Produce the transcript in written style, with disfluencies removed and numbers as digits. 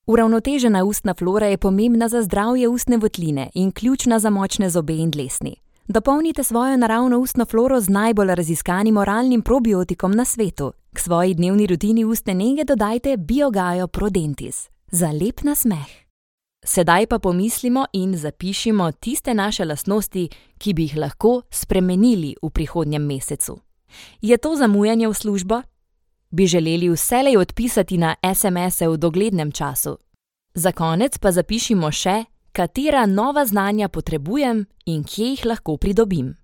Uravnotežena ustna flora je pomembna za zdravje ustne votline in ključna za močne zobe in dlesni. Dopolnite svojo naravno ustno floro z najbolj raziskanim oralnim probiotikom na svetu. K svoji dnevni rutini ustne nege dodajte Biogaio ProDentis za lep nasmeh. Sedaj pa pomislimo in zapišimo tiste naše lastnosti, ki bi jih lahko spremenili v prihodnjem mesecu. Je to zamujanje v službo? Bi želeli vselej odpisati na SMS-e v doglednem času? Za konec pa zapišimo še, katera nova znanja potrebujem in kje jih lahko pridobim.